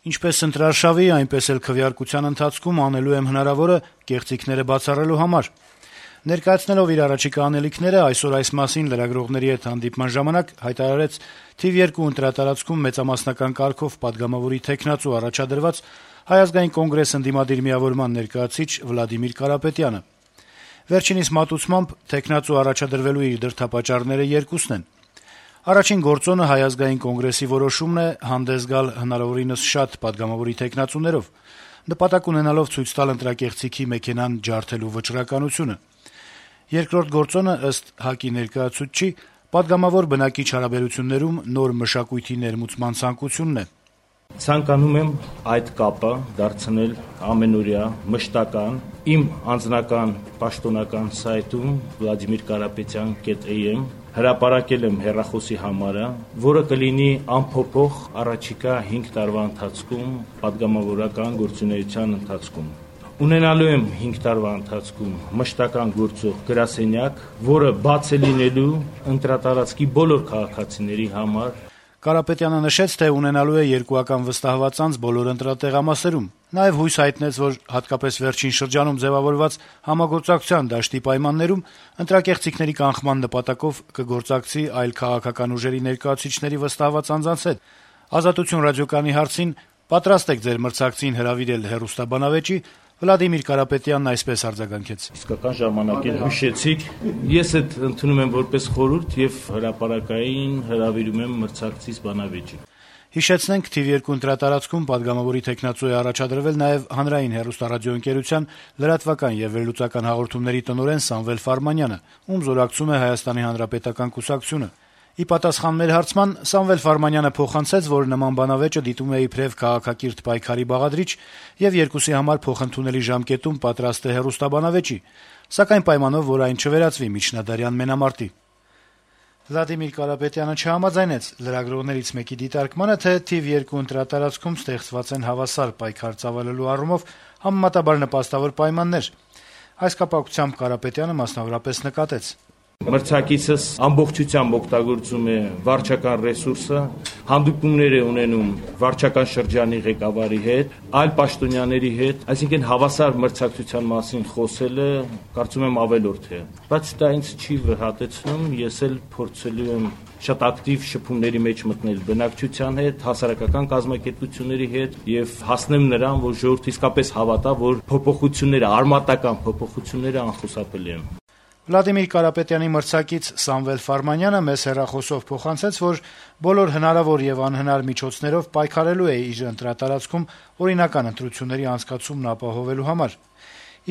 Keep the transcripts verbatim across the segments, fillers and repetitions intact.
Ինչպես ընտրարշավի, այնպես էլ քվեարկության ընթացքում անելու եմ հնարավորը կեղծիքները բացառելու համար։ Ներկայացնելով իր առաջիկա անելիքները, այսօր այս մասին լրագրողների հետ հանդիպման ժամանակ հայտարարեց թիվ երկու ընտրատարածքում մեծամասնական կարգով պատգամավորի թեկնածու առաջադրված Հայ ազգային կոնգրես ընդդիմադիր միավորման ներկայացուցիչ Վլադիմիր Կարապետյանը։ Վերջինիս մատուցմամբ թեկնածու առաջադրվելու իր դրդապատճառները երկուսն են։ Առաջին գործոնը Հայ ազգային կոնգրեսի որոշումն է հանդես գալ հնարավորինս շատ պատգամավորի թեկնածուներով, նպատակ ունենալով ցույց տալ ընտրակեղծիքի մեքենան ջարդելու վճռականությունը։ Երկրորդ գործոնը, ըստ ՀԱԿ-ի ներկայացուցչի, պատգամավոր բնակիչ հարաբերություններում նոր մշակույթի ներմուծման ցանկությունն է։ Ցանկանում եմ այդ կապը դարձնել ամենօրյա, մշտական, իմ անձնական պաշտոնական սայթում վլադիմիր կարապետյան կետ էյ էմ հրապարակել եմ հեռախոսի համարը, որը կլինի անփոփոխ առաջիկա հինգ տարվա ընթացքում պատգամավորական գործունեության ընթացքում։ Ունենալու եմ հինգ տարվա ընթացքում մշտական գործող գրասենյակ, որը բաց է լինելու ընտրատարածքի բոլոր քաղաքացիների համար։ Կարապետյանը նշեց, թե ունենալու է երկուական վստահված անձ բոլոր ընտրատեղամասերում։ Նաև հույս հայտնեց, որ հատկապես վերջին շրջանում ձևավորված համագործակցության դաշտի պայմաններում ընտրակեղծիքների կանխման նպատակով կգործակցի այլ քաղաքական ուժերի ներկայացուցիչների վստահված անձանց հետ։ «Ազատություն» ռադիոկայանի հարցին «Պատրաստ եք ձեր մրցակցին հրավիրել հեռուստաբանավեճի» Վլադիմիր Կարապետյանն այսպես արձագանքեց. «Իսկական ժամանակին հիշեցիք, ես այդ ընդունում եմ որպես խորհուրդ եւ հրապարակային հրավիրում եմ մրցակցիս բանավեճի»։ Հիշեցնենք, թիվ երկու ընտրատարածքում պատգամավորի թեկնածու է առաջադրվել նաև հանրային հեռուստառադիոընկերության լրատվական եւ վերլուծական հաղորդումների տնօրեն Սամվել Ֆարմանյանը, ում զորակցում է Հայաստանի Հանրապետական կուսակցությունը։ Ի պատասխան մեր հարցման Սամվել Ֆարմանյանը փոխանցեց, որ նման բանավեճը դիտում է իբրև քաղաքակիրթ պայքարի բաղադրիչ եւ երկուսի համար փոխընդունելի ժամկետում պատրաստ է հեռուստաբանավեճի, սակայն պայմանով, որ այն չվերածվի միջնադարյան մենամարտի։ Վլադիմիր Կարապետյանը չհամաձայնեց լրագրողներից մեկի դիտարկմանը, թե թիվ երկու ընտրատարածքում ստեղծված են հավասար պայքար ծավալելու առումով համեմատաբար նպաստավոր պայմաններ։ Այս կապակցությամբ Կարապետյանը մասնավորապես նկատեց. Մրցակիցս ամբողջությամբ օգտագործում է վարչական ռեսուրսը, հանդիպումներ է ունենում վարչական շրջանի ղեկավարի հետ, այլ պաշտոնյաների հետ, այսինքն հավասար մրցակցության մասին խոսելը կարծում եմ ավելորդ է։ Բայց դա ինձ չի վհատեցնում, ես էլ փորձելու եմ շատ ակտիվ շփումների մեջ մտնել բնակչության հետ, հասարակական կազմակերպությունների հետ եւ հասնեմ նրան, որ ժողովուրդը իսկապես հավատա, որ փոփոխությունները, արմատական փոփոխությունները անխուսափելի են։ Վլադիմիր Կարապետյանի մրցակից Սամվել Ֆարմանյանը մեզ հեռախոսով փոխանցեց, որ բոլոր հնարավոր եւ անհնար միջոցներով պայքարելու է իր ընտրատարածքում օրինական ընտրությունների անցկացումն ապահովելու համար։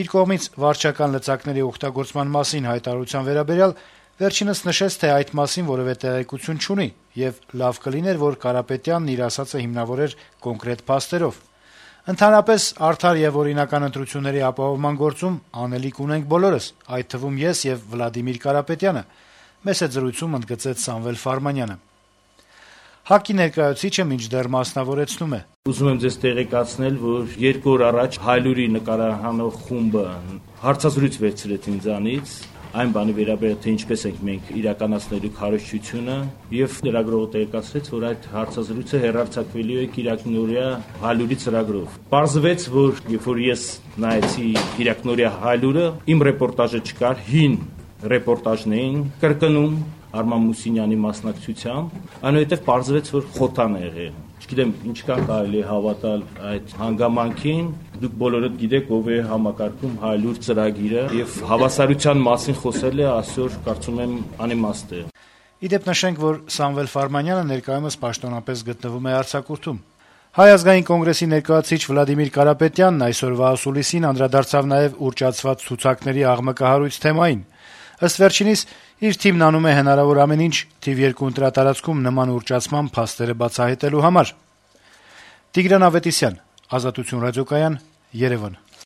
Իր կողմից վարչական լծակների օգտագործման մասին հայտարարության վերաբերյալ վերջինս նշեց, թե այդ մասին որևէ տեղեկություն չունի եւ լավ կլիներ, որ Կարապետյանն իր ասածը հիմնավորեր կոնկրետ փաստերով։ Ընդհանրապես արդար եւ օրինական ընտրությունների ապահովման գործում անելիք ունենք բոլորս, այդ թվում ես եւ Վլադիմիր Կարապետյանը, մեծ զրույցում ընդգծեց Սամվել Ֆարմանյանը։ ՀԱԿ-ի ներկայացուցիչը մինչդեռ մասնավորեցնում է. Ուզում եմ ձեզ տեղեկացնել, որ երկու օր առաջ Հայլուրի նկարահանող խումբը հարցազրույց վերցրեց ինձանից այն բանի վերաբերյալ, թե ինչպես ենք մենք իրականացնելու քարոզչությունը, եւ լրագրողը տեղեկացրեց, որ այդ հարցազրույցը հեռարձակվելու է Կիրակնորիա Հայլուրի ծրագրով։ Պարզվեց, որ երբ որ ես նայեցի Կիրակնորիա Հայլուրը, իմ ռեպորտաժը չկար, հին ռեպորտաժն էին կրկնում Արման Մուսինյանի մասնակցությամբ, այնուհետև պարզվեց, որ խոթան է եղել։ Չգիտեմ, ինչքան կարելի է հավատալ այդ հանգամանքին, դուք բոլորդ գիտեք, ով է համակարգում Հայլուր ծրագիրը եւ հավասարության մասին խոսելը այսօր կարծում եմ անիմաստ է։ Իդեպ նշենք, որ Սամվել Ֆարմանյանը ներկայումս պաշտոնապես գտնվում է արձակուրդում։ Հայ ազգային կոնգրեսի ներկայացուցիչ Վլադիմիր Կարապետյանն այսօրվա ասուլիսին անդրադարձավ նաեւ ուռճացված ցուցակների աղմկահարույց թեմային։ Ըստ վերջինիս, իր թիմն անում է հնարավոր ամեն ինչ թիվ երկու ընտրատարածքում նման ուռճացման փաստերը բացահայտելու համար։ Տիգրան Ավետիսյան, Ազատություն ռադիոկայան, Երևան։